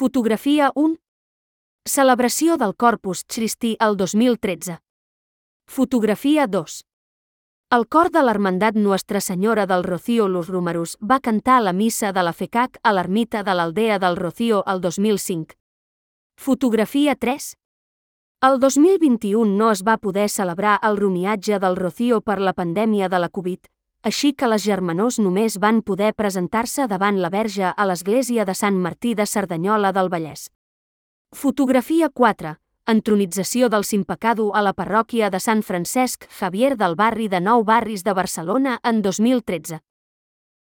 Fotografia 1. Celebració del Corpus Christi el 2013. Fotografia 2. El cor de l'Hermandat Nuestra Senyora del Rocío Los Romerus va cantar la missa de la FECAC a l'ermita de l'Aldea del Rocío el 2005. Fotografia 3. El 2021 no es va poder celebrar el romiatge del Rocío per la pandèmia de la Covid, així que les germanors només van poder presentar-se davant la Verge a l'església de Sant Martí de Cerdanyola del Vallès. Fotografia 4. Entronització del Simpecado a la parròquia de Sant Francesc Xavier del barri de Nou Barris de Barcelona en 2013.